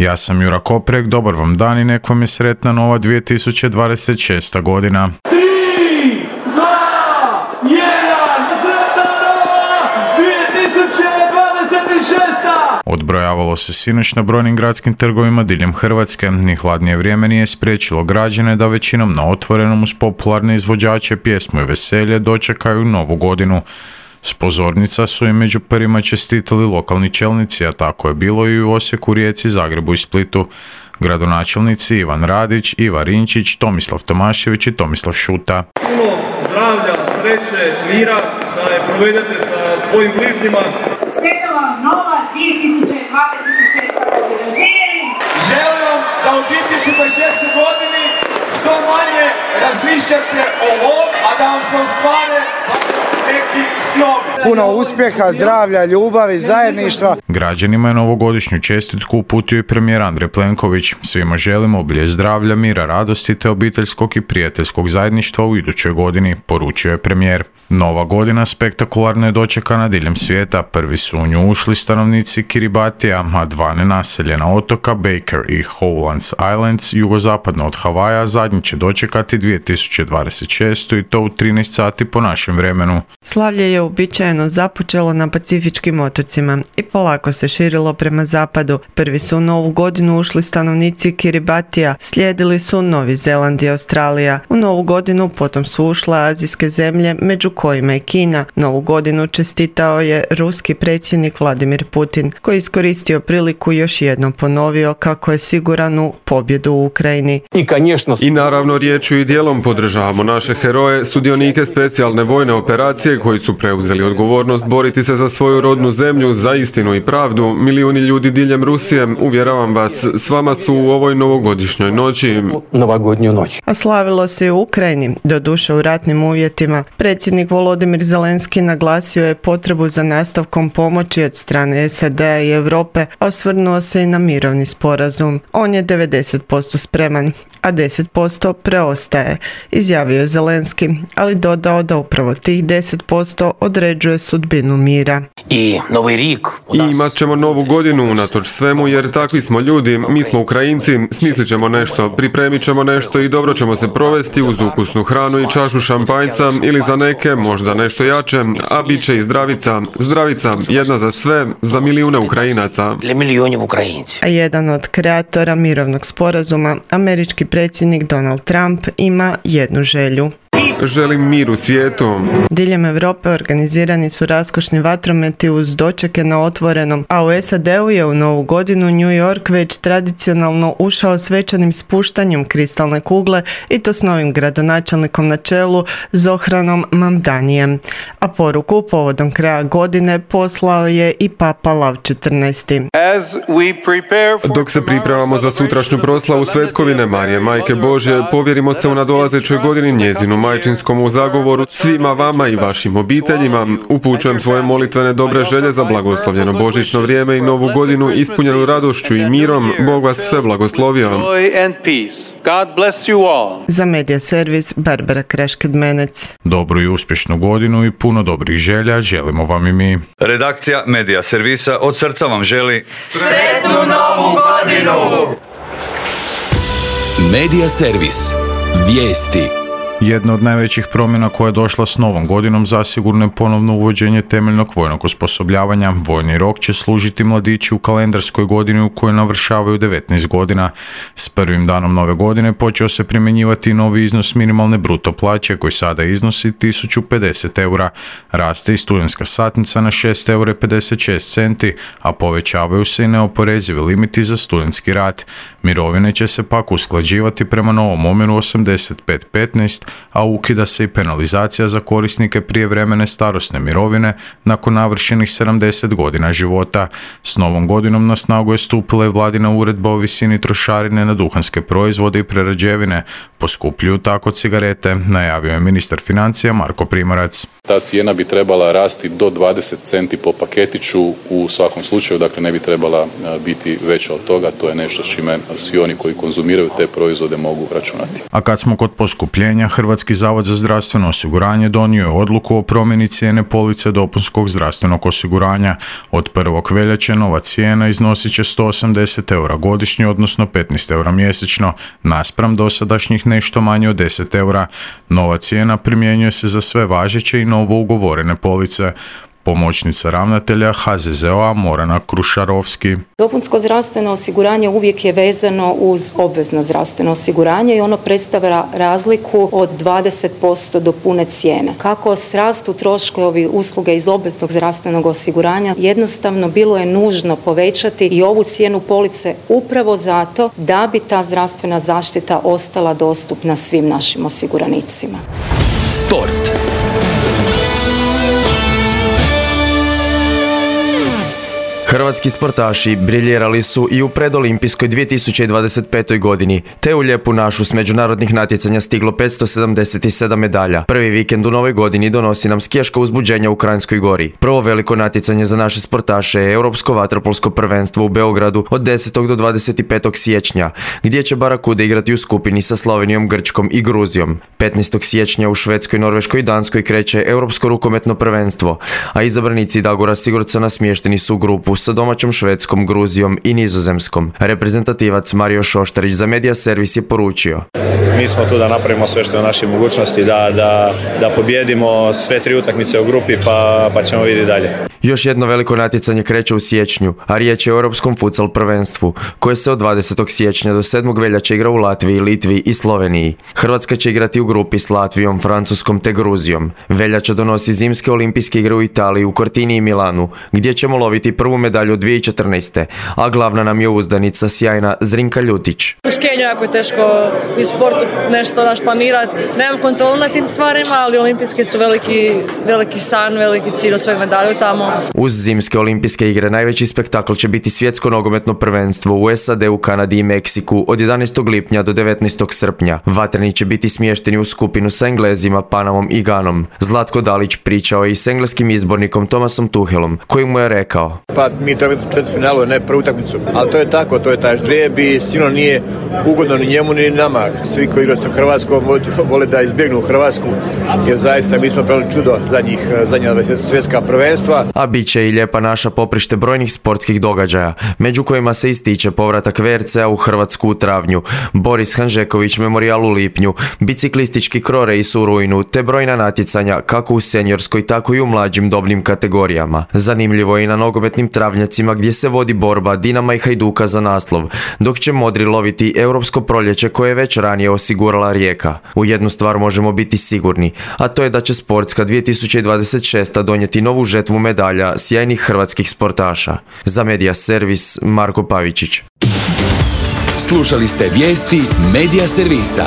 Ja sam Jura Koprek, dobar vam dan i nek vam je sretna nova 2026. godina. 3, 2, 1, sretna nova 2026. Odbrojavalo se sinoć na brojnim gradskim trgovima diljem Hrvatske. Ni hladnije vrijeme nije spriječilo građane da većinom na otvorenom uz popularne izvođače pjesmu i veselje dočekaju novu godinu. S pozornica su i među prvima čestitali lokalni čelnici, a tako je bilo i u Osijeku, Rijeci, Zagrebu i Splitu. Gradonačelnici Ivan Radić, Iva Rinčić, Tomislav Tomašević i Tomislav Šuta. Puno zdravlja, sreće, mira, da je provedete sa svojim bližnjima. Sretna vam nova 2026. godina. Želim vam da u 2026. godini što manje razmišljate o ovom, a da vam se ostvare neki snovi. Puno uspjeha, zdravlja, ljubavi, zajedništva. Građanima je novogodišnju čestitku uputio i premijer Andrej Plenković. Svima želimo obilje zdravlja, mira, radosti te obiteljskog i prijateljskog zajedništva u idućoj godini, poručio je premijer. Nova godina spektakularno je dočekana diljem svijeta. Prvi su u nju ušli stanovnici Kiribatija, a dva nenaseljena otoka Baker i Howlands Islands jugozapadno od Havaja zadnji će dočekati 2026. i to u 13 sati po našem vremenu. Slavlje je uobičajeno započelo na Pacifičkim otocima i polako se širilo prema zapadu. Prvi su u novu godinu ušli stanovnici Kiribatija, slijedili su Novi Zeland i Australija. U novu godinu potom su ušle azijske zemlje, među kojima i Kina. Novu godinu čestitao je ruski predsjednik Vladimir Putin, koji je iskoristio priliku i još jednom ponovio kako je siguran u pobjedu u Ukrajini. I naravno riječju i dijelom podržavamo naše heroje, sudionike specijalne vojne operacije koji su preuzeli odgovornost boriti se za svoju rodnu zemlju, za istinu i pravdu. Milijuni ljudi diljem Rusije, uvjeravam vas, s vama su u ovoj novogodišnjoj noći. A slavilo se i u Ukrajini, doduše u ratnim uvjetima. Predsjednik Volodimir Zelenski naglasio je potrebu za nastavkom pomoći od strane SAD-a i Europe, a osvrnuo se i na mirovni sporazum. On je 90% spreman, a 10% preostaje, izjavio je Zelenski, ali dodao da upravo tih 10% određuje sudbinu mira. I imat ćemo novu godinu unatoč svemu, jer takvi smo ljudi, mi smo Ukrajinci, smislit ćemo nešto, pripremit ćemo nešto i dobro ćemo se provesti uz ukusnu hranu i čašu šampanjca ili za neke možda nešto jače, a bit će i zdravica, jedna za sve, za milijune Ukrajinaca. A jedan od kreatora mirovnog sporazuma, američki predsjednik Donald Trump, ima jednu želju. Želim mir u svijetu. Diljem Europe organizirani su raskošni vatrometi uz dočeke na otvorenom, a u SAD-u je u novu godinu New York već tradicionalno ušao svečanim spuštanjem kristalne kugle i to s novim gradonačelnikom na čelu Zohranom Mamdanijem. A poruku povodom kraja godine poslao je i Papa Lav XIV. Dok se pripremamo za sutrašnju proslavu Svetkovine Marije, Majke Božje, povjerimo se u nadolazećoj godini njezinu majčinskom u zagovoru svima vama i vašim obiteljima. Upućujem svoje molitvene dobre želje za blagoslovljeno božićno vrijeme i novu godinu ispunjenu radošću i mirom. Bog vas sve blagoslovio. Za Medija servis Barbara Krešked-Menec. Dobru i uspješnu godinu i puno dobrih želja želimo vam i mi. Redakcija Medija servisa od srca vam želi Sretnu novu godinu! Medija servis. Vijesti. Jedna od najvećih promjena koja je došla s novom godinom zasigurno je ponovno uvođenje temeljnog vojnog osposobljavanja. Vojni rok će služiti mladići u kalendarskoj godini u kojoj navršavaju 19 godina. S prvim danom nove godine počeo se primjenjivati novi iznos minimalne bruto plaće koji sada iznosi 1050 eura. Raste i studentska satnica na 6,56 eura, a povećavaju se i neoporezivi limiti za studentski rad. Mirovine će se pak usklađivati prema novom omjeru 85-15, a ukida se i penalizacija za korisnike prijevremene starosne mirovine nakon navršenih 70 godina života. S novom godinom na snagu je stupila i vladina uredba o visini trošarine na duhanske proizvode i prerađevine. Poskupljuju tako cigarete, najavio je ministar financija Marko Primorac. Ta cijena bi trebala rasti do 20 centi po paketiću u svakom slučaju, dakle ne bi trebala biti veća od toga, to je nešto s čime svi oni koji konzumiraju te proizvode mogu računati. A kad smo kod poskupljenja, Hrvatski zavod za zdravstveno osiguranje donio je odluku o promjeni cijene police dopunskog zdravstvenog osiguranja. Od 1. veljače nova cijena iznosit će 180 eura godišnje, odnosno 15 eura mjesečno, naspram dosadašnjih nešto manje od 10 eura. Nova cijena primjenjuje se za sve važeće i novo ugovorene police. Pomoćnica ravnatelja HZZO-a Morana Krušarovski. Dopunsko zdravstveno osiguranje uvijek je vezano uz obvezno zdravstveno osiguranje i ono predstavlja razliku od 20% do pune cijene. Kako rastu troškovi usluge iz obveznog zdravstvenog osiguranja, jednostavno bilo je nužno povećati i ovu cijenu police upravo zato da bi ta zdravstvena zaštita ostala dostupna svim našim osiguranicima. Sport. Hrvatski sportaši briljirali su i u predolimpijskoj 2025. godini, te u lijepu našu s međunarodnih natjecanja stiglo 577 medalja. Prvi vikend u novoj godini donosi nam skijaško uzbuđenje u Kranjskoj Gori. Prvo veliko natjecanje za naše sportaše je Europsko vaterpolsko prvenstvo u Beogradu od 10. do 25. siječnja, gdje će Barakude igrati u skupini sa Slovenijom, Grčkom i Gruzijom. 15. siječnja u Švedskoj, Norveškoj i Danskoj kreće Europsko rukometno prvenstvo, a izabranici Dagora Sigurdsona smješteni su u grupu sa domaćom Švedskom, Gruzijom i Nizozemskom. Reprezentativac Mario Šoštarić za Media Servis je poručio: Mi smo tu da napravimo sve što je u našoj mogućnosti, da pobjedimo sve 3 utakmice u grupi pa ćemo vidjeti dalje. Još jedno veliko natjecanje kreće u siječnju, a riječ je o Europskom futsal prvenstvu, koje se od 20. siječnja do 7. veljače igra u Latviji, Litvi i Sloveniji. Hrvatska će igrati u grupi s Latvijom, Francuskom te Gruzijom. Veljača donosi zimske olimpijske igre u Italiji, u Cortini i Milanu, gdje ćemo loviti prvu medalju 2014. A glavna nam je uzdanica sjajna Zrinka Ljutić. U skijenju jako je teško i sportu nešto planirati. Nemam kontrolu nad tim stvarima, ali olimpijske su veliki san, veliki cilj, osvojiti medalju tamo. Uz zimske olimpijske igre najveći spektakl će biti svjetsko nogometno prvenstvo u SAD-u, Kanadi i Meksiku od 11. lipnja do 19. srpnja. Vatreni će biti smješteni u skupinu sa Englezima, Panamom i Ganom. Zlatko Dalić pričao je i s engleskim izbornikom Thomasom Tuchelom, koji mu je rekao: Pa mi trebamo četvrtfinalu, ne prvu utakmicu. Ali to je tako, to je taj ždrijeb i sigurno nije ugodno ni njemu ni nama. Svi koji igraju sa Hrvatskom vole da izbjegnu Hrvatsku, jer zaista mi smo pravili čudo zadnja svjetska prvenstva. A bit će i lijepa naša poprište brojnih sportskih događaja, među kojima se ističe povratak VRC-a u Hrvatsku u travnju, Boris Hanžeković memorijal u lipnju, biciklistički krorejs u rujnu, te brojna natjecanja kako u seniorskoj tako i u mlađim dobnim kategorijama. Zanimljivo je i na nogometnim travnjacima gdje se vodi borba Dinama i Hajduka za naslov, dok će modri loviti europsko proljeće koje je već ranije osigurala Rijeka. U jednu stvar možemo biti sigurni, a to je da će sportska 2026. donijeti novu žetvu medalja sjajnih hrvatskih sportaša. Za Media Servis, Marko Pavičić. Slušali ste vijesti Media Servisa.